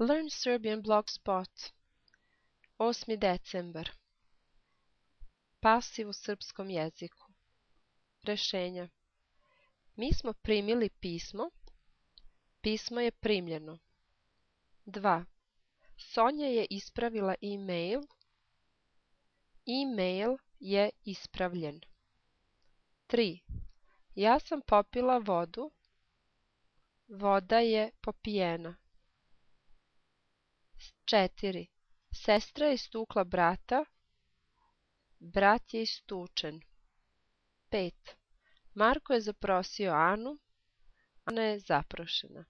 Learn Serbian Blogspot. 8. decembar. Pasiv u srpskom jeziku. Rešenja. Mi smo primili pismo. Pismo je primljeno. 2. Sonja je ispravila e-mail. E-mail je ispravljen. 3. Ja sam popila vodu. Voda je popijena. 4. Sestra je istukla brata. Brat je istučen. 5. Marko je zaprosio Anu. Ana je zaprošena.